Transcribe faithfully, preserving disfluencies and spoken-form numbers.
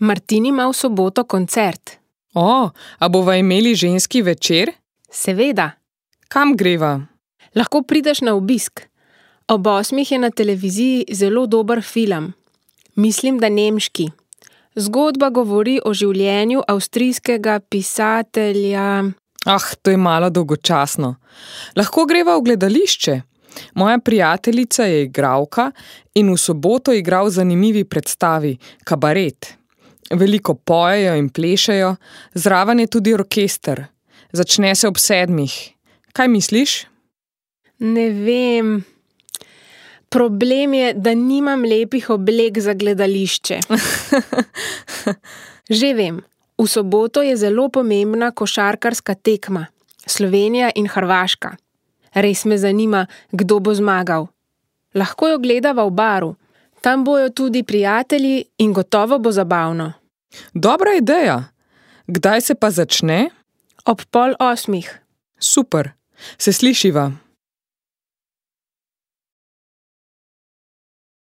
Martin ima v soboto koncert. O, a bova imeli ženski večer? Seveda. Kam greva? Lahko prideš na obisk. Ob osmih je na televiziji zelo dober film. Mislim, da nemški. Zgodba govori o življenju avstrijskega pisatelja... Ah, to je malo dolgočasno. Lahko greva v gledališče. Moja prijateljica je igralka in v soboto igra v zanimivi predstavi Kabaret. Veliko pojejo in plešejo, zraven je tudi orkester. Začne se ob sedmih. Kaj misliš? Ne vem. Problem je, da nimam lepih oblek za gledališče. Že vem, v soboto je zelo pomembna košarkarska tekma. Slovenija in Hrvaška. Res me zanima, kdo bo zmagal. Lahko jo gledava v baru. Tam bojo tudi prijatelji in gotovo bo zabavno. Dobra ideja. Kdaj se pa začne? Ob pol osmih. Super. Se slišiva.